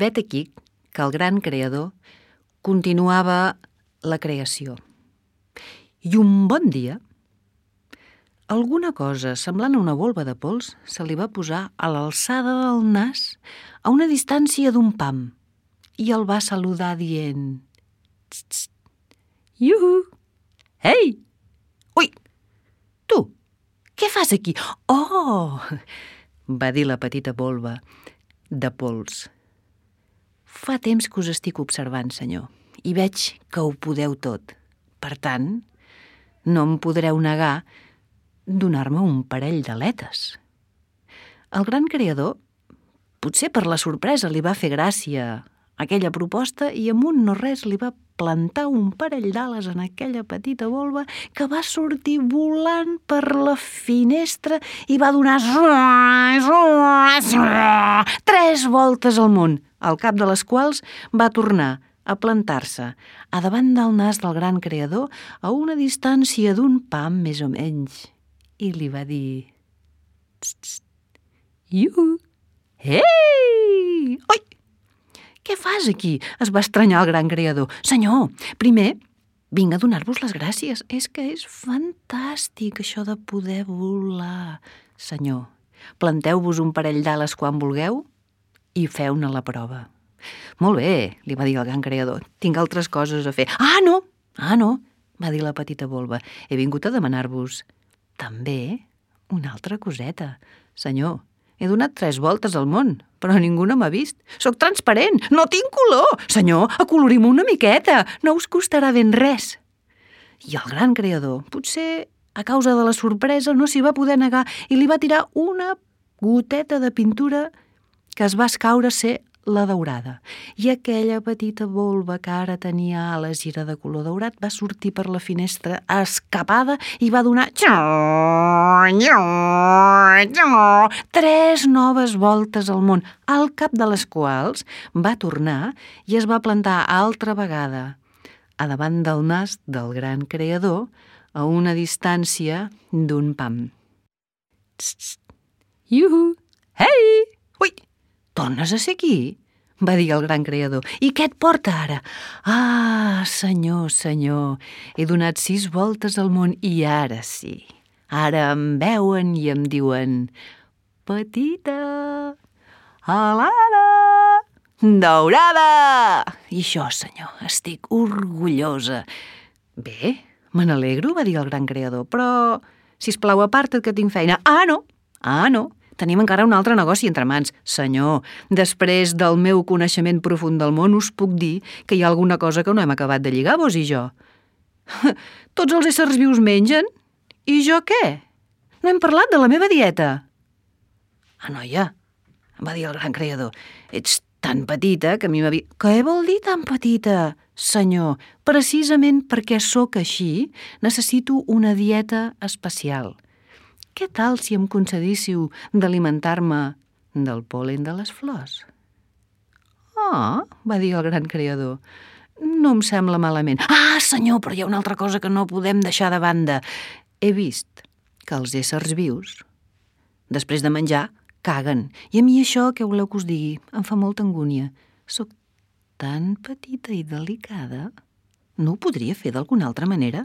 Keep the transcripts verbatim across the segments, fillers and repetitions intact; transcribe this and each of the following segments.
Vet aquí que el gran creador continuava la creació. I un bon dia, alguna cosa semblant a una volva de pols se li va posar a l'alçada del nas a una distància d'un pam i el va saludar dient: «Tst, tst, iuhu! Ei! Ui! Tu, què fas aquí?» «Oh!», va dir la petita volva de pols. «Fa temps que us estic observant, senyor, i veig que ho podeu tot. Per tant, no em podreu negar donar-me un parell d'aletes». El gran creador, potser per la sorpresa, li va fer gràcia aquella proposta i amb un no res li va plantar un parell d'ales en aquella petita volva que va sortir volant per la finestra i va donar tres voltes al món, al cap de les quals va tornar a plantar-se a davant del nas del gran creador a una distància d'un pam més o menys i li va dir: «Tst, tst, iuhu! Ei! Oi! Què fas aquí?», es va estranyar el gran creador. «Senyor, primer vinc a donar-vos les gràcies. És que és fantàstic això de poder volar. Senyor, planteu-vos un parell d'ales quan vulgueu i feu-ne la prova». «Molt bé», li va dir el gran creador, «tinc altres coses a fer». «Ah, no! Ah, no!», va dir la petita volva. «He vingut a demanar-vos també una altra coseta. Senyor, he donat tres voltes al món, però ningú no m'ha vist. Soc transparent, no tinc color. Senyor, acolorim-me una miqueta, no us costarà ben res». I el gran creador, potser a causa de la sorpresa, no s'hi va poder negar i li va tirar una goteta de pintura que es va escaure a ser la daurada. I aquella petita volva que ara tenia ales i era de color daurat va sortir per la finestra escapada i va donar tres noves voltes al món, al cap de les quals va tornar i es va plantar altra vegada a davant del nas del gran creador a una distància d'un pam. «Tst, tst, iuhu! Ei! Ui! Tornes a ser aquí?», va dir el gran creador. «I què et porta ara?». «Ah, senyor, senyor, he donat sis voltes al món i ara sí, ara em veuen i em diuen: petita, alada, daurada. I això, senyor, estic orgullosa». «Bé, me n'alegro», va dir el gran creador, «però, sisplau, aparta't que tinc feina». «Ah, no, ah, no, tenim encara un altre negoci entre mans. Senyor, després del meu coneixement profund del món us puc dir que hi ha alguna cosa que no hem acabat de lligar, vos i jo». «Tots els éssers vius mengen? I jo què? No hem parlat de la meva dieta». «Ah, noia», va dir el gran creador, «ets tan petita que a mi m'havia...» «Què vol dir tan petita, senyor? Precisament perquè sóc així, necessito una dieta especial. Què tal si em concedíssiu d'alimentar-me del pol·len de les flors?» «Ah», va dir el gran creador, «no em sembla malament». «Ah, senyor, però hi ha una altra cosa que no podem deixar de banda. He vist que els éssers vius, després de menjar, caguen. I a mi això, què voleu que us digui? Em fa molta angúnia. Soc tan petita i delicada. No ho podria fer d'alguna altra manera?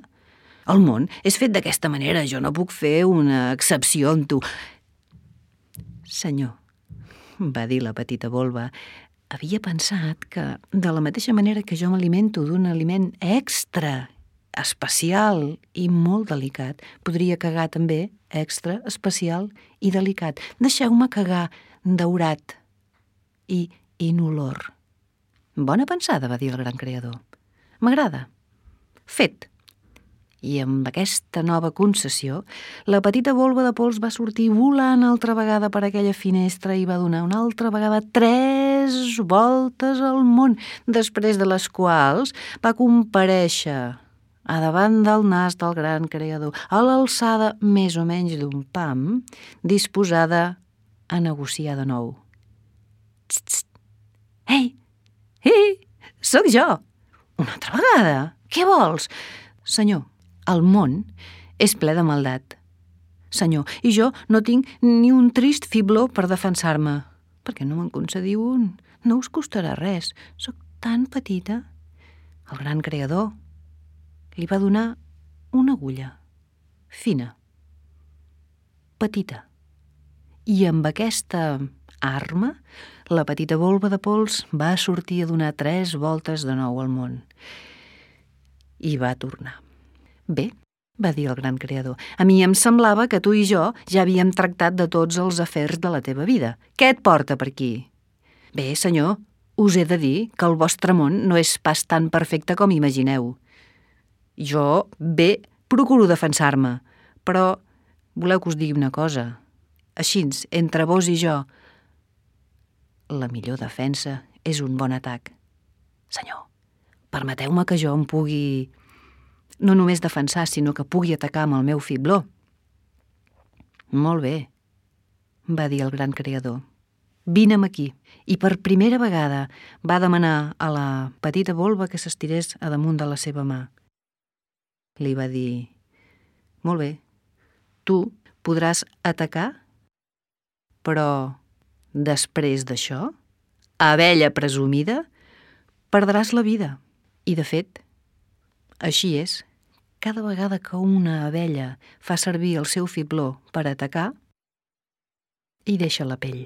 El món és fet d'aquesta manera, jo no puc fer una excepció amb tu». «Senyor», va dir la petita volva, «havia pensat que, de la mateixa manera que jo m'alimento d'un aliment extra, especial i molt delicat, podria cagar també extra, especial i delicat. Deixeu-me cagar daurat i inolor». «Bona pensada», va dir el gran creador. «M'agrada. Fet». I amb aquesta nova concessió, la petita volva de pols va sortir volant altra vegada per aquella finestra i va donar una altra vegada tres voltes al món, després de les quals va comparèixer a davant del nas del gran creador, a l'alçada més o menys d'un pam, disposada a negociar de nou. «Tst, tst! Ei! Ei! Sóc jo! Una altra vegada! Què vols?» «Senyor, el món és ple de maldat. Senyor, i jo no tinc ni un trist fibló per defensar-me. Per què no me'n concediu un? No us costarà res, sóc tan petita. El gran creador li va donar una agulla, fina, petita. I amb aquesta arma, la petita volva de pols va sortir a donar tres voltes de nou al món. I va tornar. Bé, va dir el gran creador, a mi em semblava que tu i jo ja havíem tractat de tots els afers de la teva vida. Què et porta per aquí? Bé, senyor, us he de dir que el vostre món no és pas tan perfecte com imagineu. Jo, bé, procuro defensar-me, però voleu que us digui una cosa? Així, entre vos i jo, la millor defensa és un bon atac. Senyor, permeteu-me que jo em pugui no només defensar, sinó que pugui atacar amb el meu fibló. Molt bé, va dir el gran creador. Vine'm aquí. I per primera vegada va demanar a la petita volva que s'estirés a damunt de la seva mà. Li va dir, molt bé, tu podràs atacar, però després d'això, abella presumida, perdràs la vida. I de fet, així és. Cada vegada que una abella fa servir el seu fibló per atacar, hi deixa la pell.